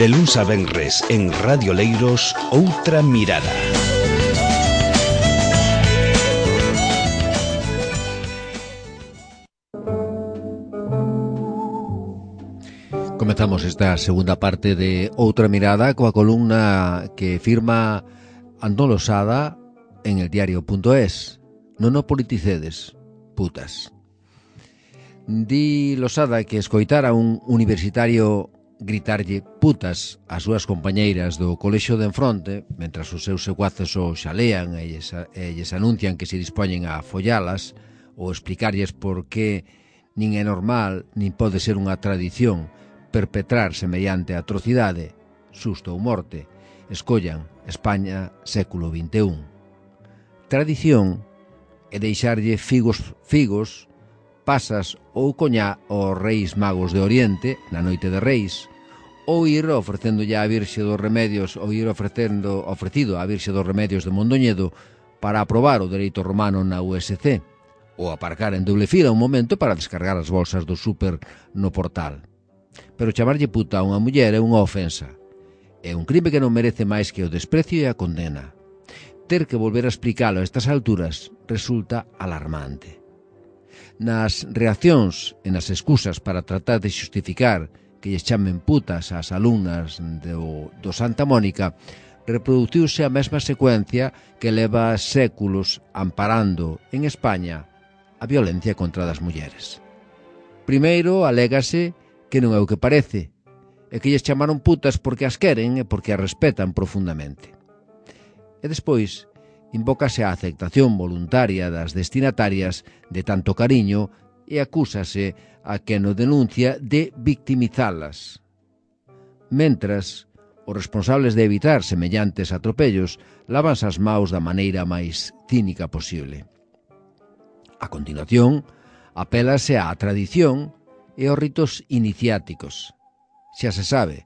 De luns a venres en Radio Leiros, Outra Mirada. Comezamos esta segunda parte de Outra Mirada coa columna que firma Antón Losada en el diario.es. Non o politicedes, putas. Di Losada que escoitar a un universitario gritarlle putas ás súas compañeiras do colexio de enfronte, mentras os seus secuaces o xalean e lles anuncian que se dispoñen a follalas, ou explicarlles por que nin é normal, nin pode ser unha tradición perpetrar semellante atrocidade, susto ou morte, escollan España século XXI. Tradición é deixarlle figos, pasas ou coñá aos reis magos de Oriente na noite de Reis, ou ir ofrecendolle á Virxe dos Remedios, ou ir ofrecido á Virxe dos Remedios de Mondoñedo para aprobar o dereito romano na USC, ou aparcar en doble fila un momento para descargar as bolsas do súper no portal. Pero chamarlle puta a unha muller é unha ofensa. É un crime que non merece máis que o desprecio e a condena. Ter que volver a explicalo a estas alturas resulta alarmante. Nas reaccións e nas excusas para tratar de xustificar que lles chamen putas ás alumnas do Santa Mónica, reproduciuse a mesma secuencia que leva séculos amparando en España a violencia contra das mulleres. Primeiro, alégase que non é o que parece, e que lles chamaron putas porque as queren e porque as respetan profundamente. E despois, invócase a aceptación voluntaria das destinatarias de tanto cariño e acúsase a quen o denuncia de victimizalas. Mentras, os responsables de evitar semellantes atropellos lávanse as maus da maneira máis cínica posible. A continuación, apélase á tradición e aos ritos iniciáticos. Xa se sabe,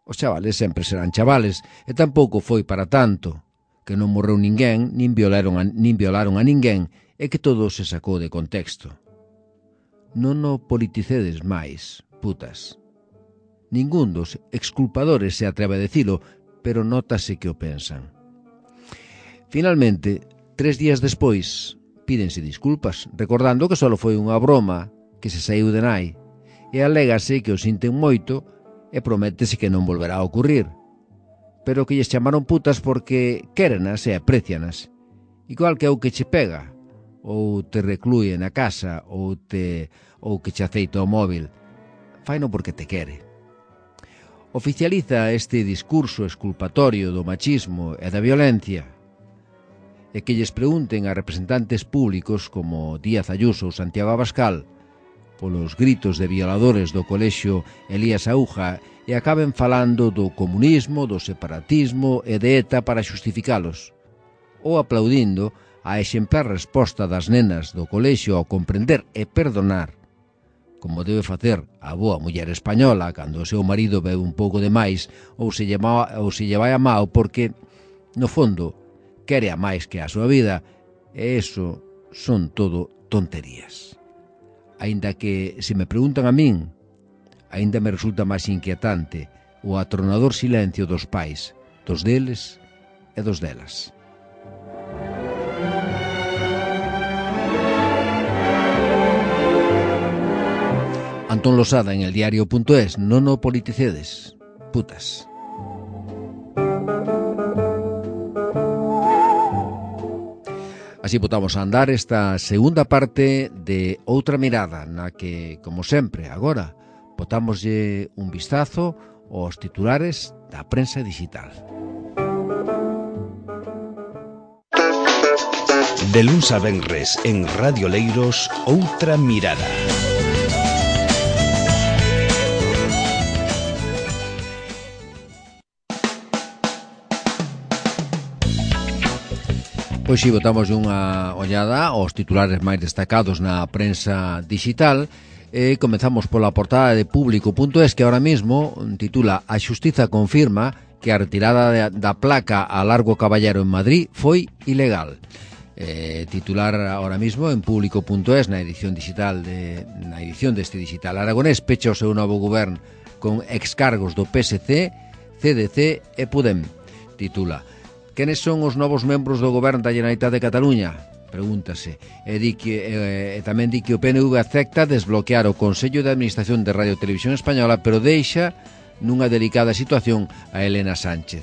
os chavales sempre serán chavales e tampouco foi para tanto, que non morreu ninguén, nin violaron a ninguén e que todo se sacou de contexto. Non o politicedes máis, putas. Ningún dos exculpadores se atreve a dicilo, pero nótase que o pensan. Finalmente, 3 días despois, pídense disculpas, recordando que só foi unha broma que se saíu de nai, e alégase que o sinten moito e prométese que non volverá a ocurrir, pero que lles chamaron putas porque quérenas e aprecianas, igual que o que che pega, ou te reclúe na casa, ou que che aceita o móvil. Faino porque te quere. Oficializa este discurso exculpatorio do machismo e da violencia, e que lles pregunten a representantes públicos como Díaz Ayuso ou Santiago Abascal polos gritos de violadores do colexio Elías Aúja e acaben falando do comunismo, do separatismo e de ETA para xustificalos, ou aplaudindo a exemplar resposta das nenas do colexio ao comprender e perdonar, como debe facer a boa muller española cando o seu marido bebe un pouco de máis ou se lle vai a mao porque, no fondo, quere a máis que a súa vida, e eso son todo tonterías. Aínda que, se me preguntan a min, aínda me resulta máis inquietante o atronador silencio dos pais, dos deles e dos delas. Antón Losada en el diario.es. Non o politicedes, putas. Así botamos a andar esta segunda parte de Outra Mirada, na que, como sempre, agora, botámoslle un vistazo aos titulares da prensa digital. De luns a venres en Radio Leiros, Outra Mirada. Pois si, botamos unha ollada aos titulares máis destacados na prensa digital e comezamos pola portada de Público.es, que ahora mismo titula A Xustiza confirma que a retirada da placa a Largo Caballero en Madrid foi ilegal. Titular ahora mismo en Público.es na edición deste digital aragonés. Pecha o seu novo govern con excargos do PSC CDC e Podem. Titula: Quenes son os novos membros do goberno da Generalitat de Cataluña? Pregúntase. E tamén di que o PNV acepta desbloquear o Consello de Administración de Radio Televisión Española, pero deixa nunha delicada situación a Elena Sánchez.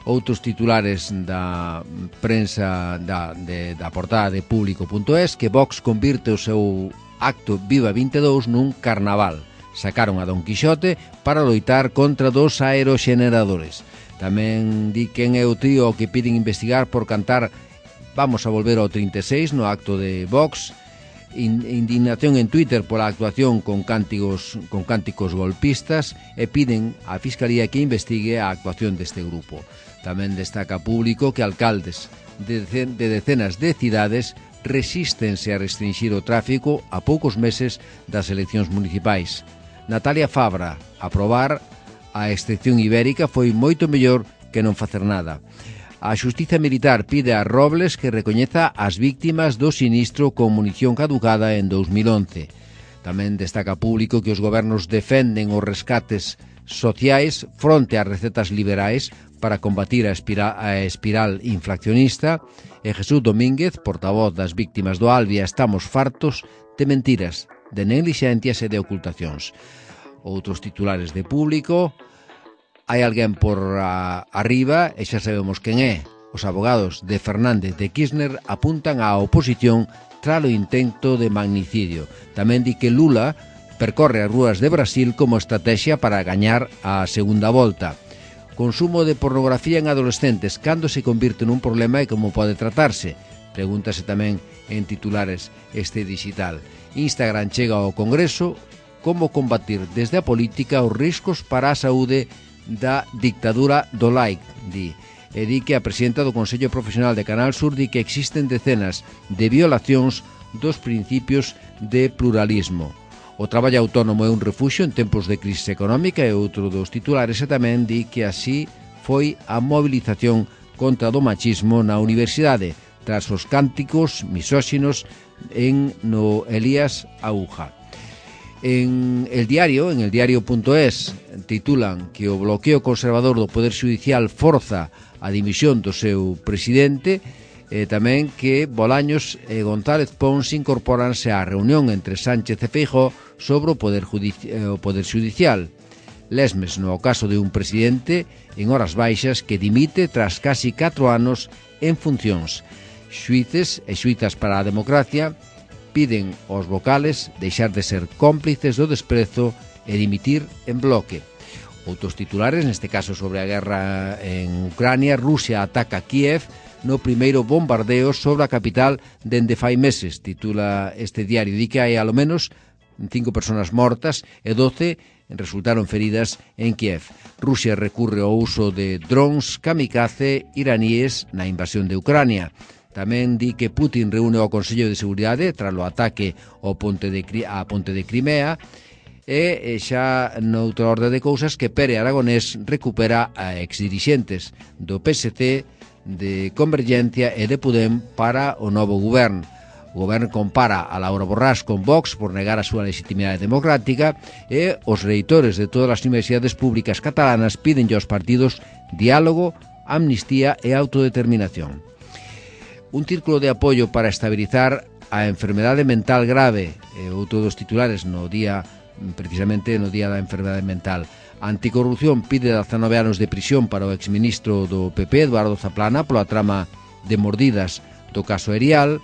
Outros titulares da prensa da portada de Público.es, que Vox convirte o seu acto Viva 22 nun carnaval. Sacaron a Don Quixote para loitar contra dos aeroxeneradores. Tamén di quen é o trío que piden investigar por cantar Vamos a volver ao 36 no acto de Vox. Indignación en Twitter pola actuación con cánticos golpistas e piden á Fiscalía que investigue a actuación deste grupo. Tamén destaca Público que alcaldes de decenas de cidades resístense a restringir o tráfico a poucos meses das eleccións municipais. Natalia Fabra: aprobar a excepción ibérica foi moito mellor que non facer nada. A Xustiza Militar pide a Robles que recoñeza as víctimas do sinistro con munición caducada en 2011. Tamén destaca Público que os gobernos defenden os rescates sociais fronte ás recetas liberais para combatir a espiral inflacionista. E Jesús Domínguez, portavoz das víctimas do Albia: estamos fartos de mentiras, de neglixencias e de ocultacións. Outros titulares de Público: hai alguén por arriba e xa sabemos quen é. Os abogados de Fernández de Kirchner apuntan á oposición tras o intento de magnicidio. Tamén di que Lula percorre as rúas de Brasil como estrategia para gañar a segunda volta. Consumo de pornografía en adolescentes, cando se convirte nun problema e como pode tratarse? Pregúntase tamén en titulares este digital. Instagram chega ao Congreso: como combatir desde a política os riscos para a saúde da dictadura do like, di. E di que a presidenta do Consello Profesional de Canal Sur di que existen decenas de violacións dos principios de pluralismo. O traballo autónomo é un refuxio en tempos de crise económica, e outro dos titulares, e tamén di que así foi a movilización contra do machismo na universidade, tras os cánticos misóxinos no Elías Aúja. En el diario.es titulan que o bloqueo conservador do Poder Xudicial forza a dimisión do seu presidente, e tamén que Bolaños e González Pons incorporanse á reunión entre Sánchez e Feijóo sobre o Poder Xudicial. Lesmes no caso de un presidente en horas baixas que dimite tras casi 4 anos en funcións. Xuíces e xuízas para a democracia piden aos vocales deixar de ser cómplices do desprezo e dimitir en bloque. Outros titulares, neste caso sobre a guerra en Ucrania: Rusia ataca Kiev no primeiro bombardeo sobre a capital dende fai meses, titula este diario. Di que hai alo menos 5 persoas mortas e 12 resultaron feridas en Kiev. Rusia recurre ao uso de drones kamikaze iraníes na invasión de Ucrania. Tamén di que Putin reúne ao Consello de Seguridade tras o ataque á ponte de Crimea, e xa noutra orde de cousas que Pere Aragonés recupera a exdirixentes do PSC, de Convergencia e de Podem para o novo goberno. O goberno compara a Laura Borràs con Vox por negar a súa legitimidade democrática, e os reitores de todas as universidades públicas catalanas piden aos partidos diálogo, amnistía e autodeterminación. Un círculo de apoio para estabilizar a enfermedade mental grave, outro dos titulares precisamente no día da enfermedade mental. Anticorrupción pide 19 anos de prisión para o exministro do PP, Eduardo Zaplana, pola trama de mordidas do caso Erial.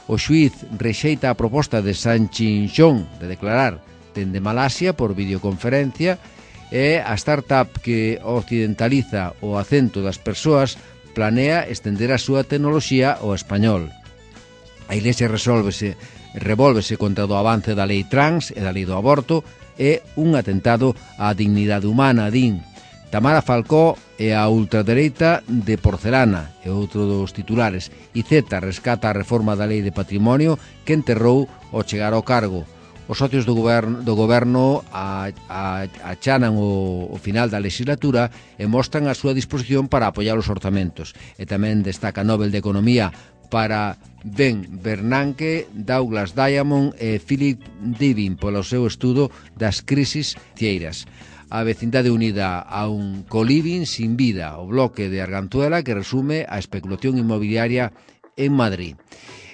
O xuíz rexeita a proposta de Sanchinchón de declarar dende Malasia por videoconferencia, e a startup que occidentaliza o acento das persoas planea estender a súa tecnoloxía ao español. A Iglesia revólvese contra o avance da lei trans e da lei do aborto, e un atentado á dignidade humana, din. Tamara Falcó e a ultradereita de porcelana, e outro dos titulares. IZ rescata a reforma da lei de patrimonio que enterrou ao chegar ao cargo. Os socios do goberno achanan o final da legislatura e mostran a súa disposición para apoiar os orzamentos. E tamén destaca Nobel de Economía para Ben Bernanke, Douglas Diamond e Philip Divin polo seu estudo das crisis financeiras. a vecindade unida a un coliving sin vida, o bloque de Arganzuela que resume a especulación inmobiliaria en Madrid.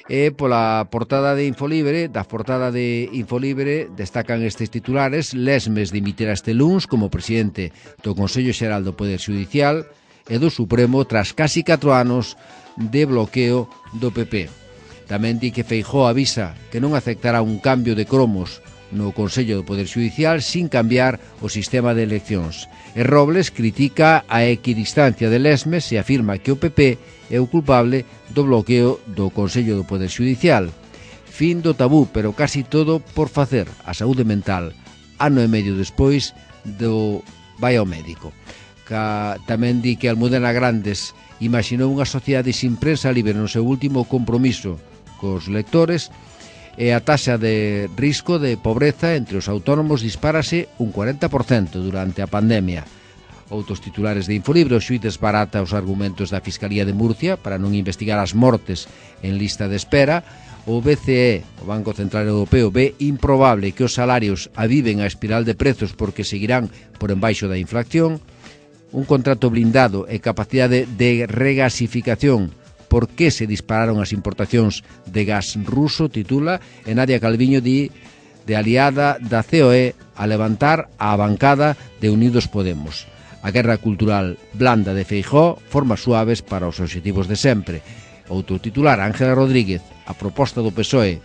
E pola portada de Infolibre, destacan estes titulares: Lesmes dimitirá este luns como presidente do Consello Xeral do Poder Xudicial e do Supremo tras casi 4 anos de bloqueo do PP. Tamén di que Feijóo avisa que non aceptará un cambio de cromos no Consello do Poder Xudicial sin cambiar o sistema de eleccións. E Robles critica a equidistancia de Lesmes e afirma que o PP é o culpable do bloqueo do Consello do Poder Xudicial. Fin do tabú, pero casi todo por facer. A saúde mental, ano e medio despois do vai ao médico. Tamén di que Almudena Grandes imaxinou unha sociedade sin prensa libre no seu último compromiso cos lectores, e a taxa de risco de pobreza entre os autónomos dispárase un 40% durante a pandemia. Outros titulares de Infolibre: o xuíz desbarata os argumentos da Fiscalía de Murcia para non investigar as mortes en lista de espera. O BCE, o Banco Central Europeo, ve improbable que os salarios aviven a espiral de prezos porque seguirán por embaixo da inflación. Un contrato blindado e capacidade de regasificación. Por que se dispararon as importacións de gas ruso, titula, e Nadia Calviño di de aliada da COE a levantar a bancada de Unidos Podemos. A guerra cultural blanda de Feijóo, formas suaves para os obxectivos de sempre. Outro titular: Ángela Rodríguez, a proposta do PSOE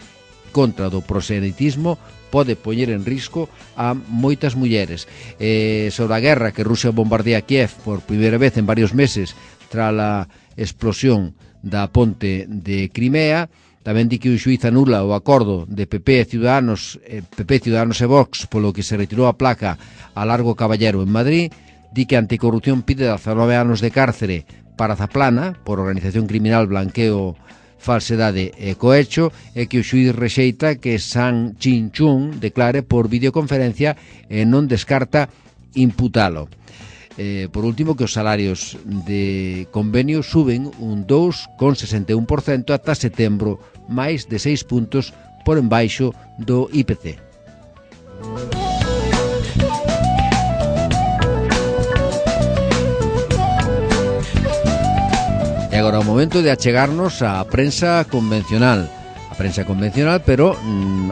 contra do proselitismo pode poñer en risco a moitas mulleres. Sobre a guerra que Rusia bombardea Kiev por primeira vez en varios meses tras a explosión da ponte de Crimea. Tamén di que o xuíz anula o acordo de PP, Ciudadanos e Vox polo que se retirou a placa a Largo Caballero en Madrid. Di que Anticorrupción pide 19 anos de cárcere para Zaplana por organización criminal, blanqueo, falsedade e cohecho, e que o xuíz rexeita que San Chin-Chung declare por videoconferencia e non descarta imputalo. Por último, que os salarios de convenio suben un 2,61% ata setembro, máis de 6 puntos por embaixo do IPC. E agora o momento de achegarnos á prensa convencional. Pero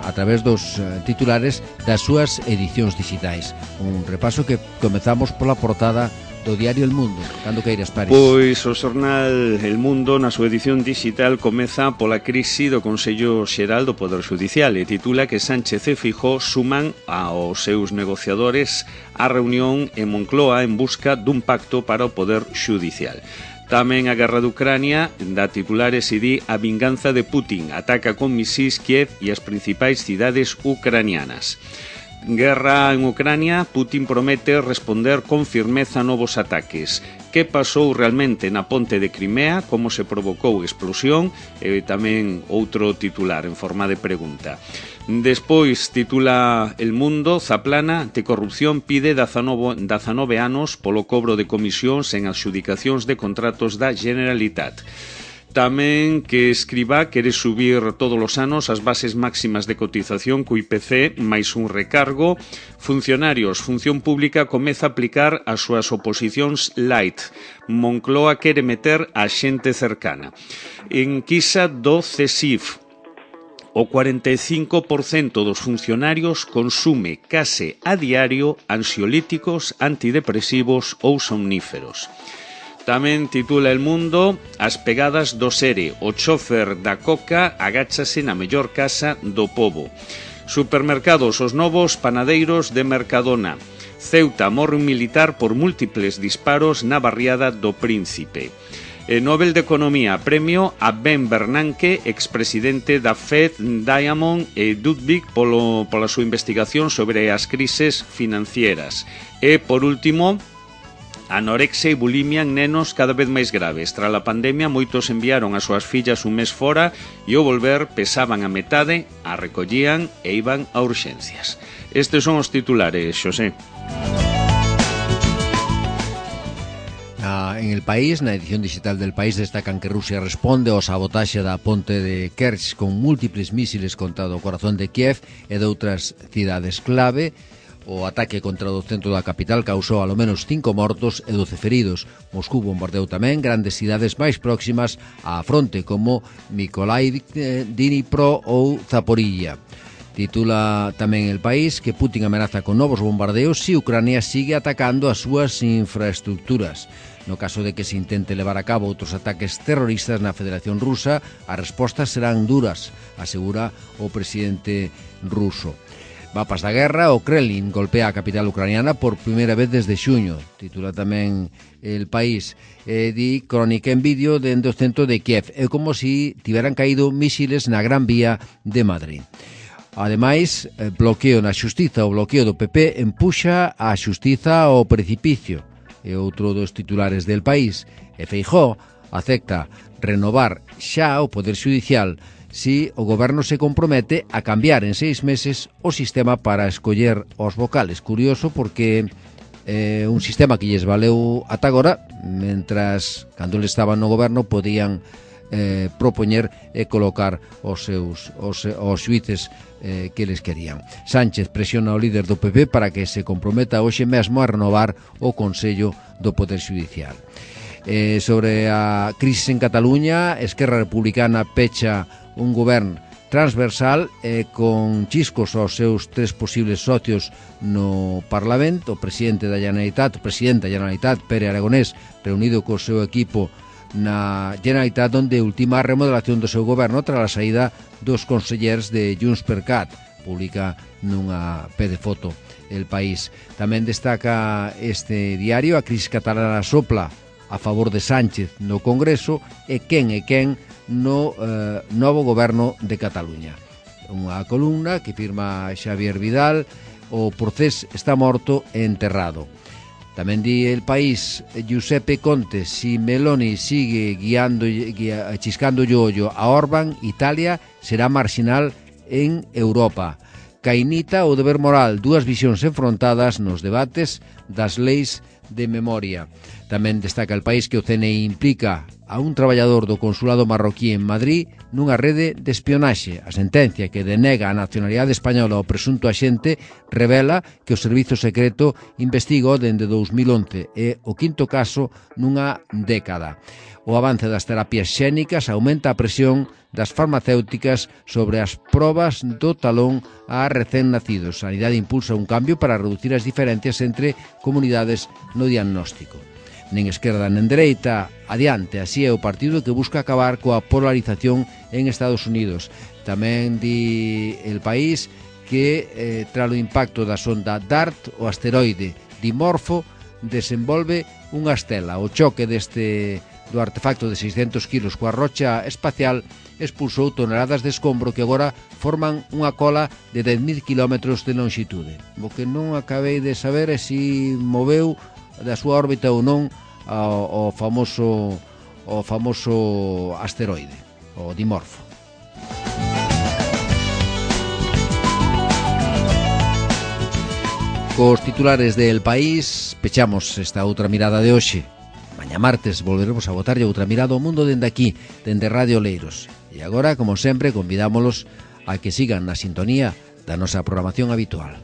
a través dos titulares das súas edicións digitais. Un repaso que comezamos pola portada do diario El Mundo. Cando queiras, Paris? Pois o xornal El Mundo, na súa edición digital, comeza pola crise do Consello Xeral do Poder Xudicial e titula que Sánchez e Feijóo suman aos seus negociadores a reunión en Moncloa en busca dun pacto para o Poder Xudicial. Tamén a guerra de Ucrania dá titulares e di a vinganza de Putin, ataca con misís Kiev e as principais cidades ucranianas. Guerra en Ucrania, Putin promete responder con firmeza a novos ataques. Que pasou realmente na ponte de Crimea, como se provocou explosión, e tamén outro titular en forma de pregunta. Despois titula El Mundo, Zaplana, Anticorrupción pide 19 anos polo cobro de comisións en adxudicacións de contratos da Generalitat. Tamén que Escribá quere subir todos os anos as bases máximas de cotización co IPC máis un recargo. Funcionarios, Función Pública comeza a aplicar as súas oposicións light. Moncloa quere meter a xente cercana. Enquisa do CESIF. O 45% dos funcionarios consume case a diario ansiolíticos, antidepresivos ou somníferos. Tamén titula El Mundo as pegadas do Sere. O chofer da Coca agáchase na mellor casa do pobo. Supermercados, os novos panadeiros de Mercadona. Ceuta morre un militar por múltiples disparos na barriada do Príncipe. Nobel de Economía, premio a Ben Bernanke, expresidente da Fed, Diamond e Ludwig pola súa investigación sobre as crises financieras. E, por último, anorexia e bulimia en nenos cada vez máis graves. Tras a pandemia, moitos enviaron as súas fillas un mes fora e ao volver pesaban a metade, a recollían e iban a urxencias. Estes son os titulares, Xosé. En El País, na edición digital del País, destacan que Rusia responde ao sabotaxe da ponte de Kerch con múltiples mísiles contra o corazón de Kiev e de outras cidades clave. O ataque contra o centro da capital causou alo menos 5 mortos e 12 feridos. Moscú bombardeou tamén grandes cidades máis próximas á fronte como Mykolaiv, Dnipro ou Zaporilla. Titula tamén El País que Putin amenaza con novos bombardeos se Ucrania sigue atacando as súas infraestructuras. No caso de que se intente levar a cabo outros ataques terroristas na Federación Rusa, as respostas serán duras, asegura o presidente ruso. Mapas da guerra, o Kremlin golpea a capital ucraniana por primeira vez desde xuño. Titula tamén El País. Di crónica en vídeo dende o centro de Kiev. É como se tiveran caído misiles na Gran Vía de Madrid. Ademais, bloqueo na xustiza. O bloqueo do PP empuxa a xustiza ao precipicio. É outro dos titulares del País. E Feijóo acepta renovar xa o Poder Xudicial si o goberno se compromete a cambiar en 6 meses o sistema para escoller os vocales. Curioso porque un sistema que lles valeu ata agora, mentras cando eles estaban no goberno podían propoñer e colocar os xuíces que eles querían. Sánchez presiona o líder do PP para que se comprometa hoxe mesmo a renovar o Consello do Poder Xudicial. Sobre a crisis en Cataluña, Esquerra Republicana pecha un govern transversal con chiscos aos seus 3 posibles socios no Parlamento. O presidente da Generalitat, Pere Aragonés, reunido co seu equipo na Generalitat, onde ultima a remodelación do seu goberno tras a saída dos consellers de Junts.cat, publica nunha pé de foto El País. Tamén destaca este diario: a crisis catalana sopla a favor de Sánchez no Congreso e quen no novo goberno de Cataluña. Unha columna que firma Xavier Vidal: o procés está morto e enterrado. Tamén di El País: Giuseppe Conte, si Meloni sigue chiscando o ollo a Orbán, Italia será marxinal en Europa. Cainita ou deber moral, dúas visións enfrontadas nos debates das leis de memoria. Tamén destaca El País que o CNI implica a un traballador do consulado marroquí en Madrid nunha rede de espionaxe. A sentencia que denega a nacionalidade española ao presunto axente revela que o Servizo Secreto investigou dende 2011 e o quinto caso nunha década. O avance das terapias xénicas aumenta a presión das farmacéuticas sobre as probas do talón a recén nacidos. A Sanidade impulsa un cambio para reducir as diferencias entre comunidades no diagnóstico. Nen esquerda nen dereita, adiante, así é o partido que busca acabar coa polarización en Estados Unidos. Tamén di El País que tras o impacto da sonda DART, o asteroide Dimorfo desenvolve unha estela. O choque do artefacto de 600 kilos coa rocha espacial expulsou toneladas de escombro que agora forman unha cola de 10.000 kilómetros de longitude. O que non acabei de saber é se moveu da súa órbita ou non o famoso asteroide, o Dimorfo. Cos titulares de El País pechamos esta outra mirada de hoxe. Mañá martes volveremos a botarlle outra mirada ao mundo dende aquí, dende Radio Oleiros. E agora, como sempre, convidámolos a que sigan na sintonía da nosa programación habitual.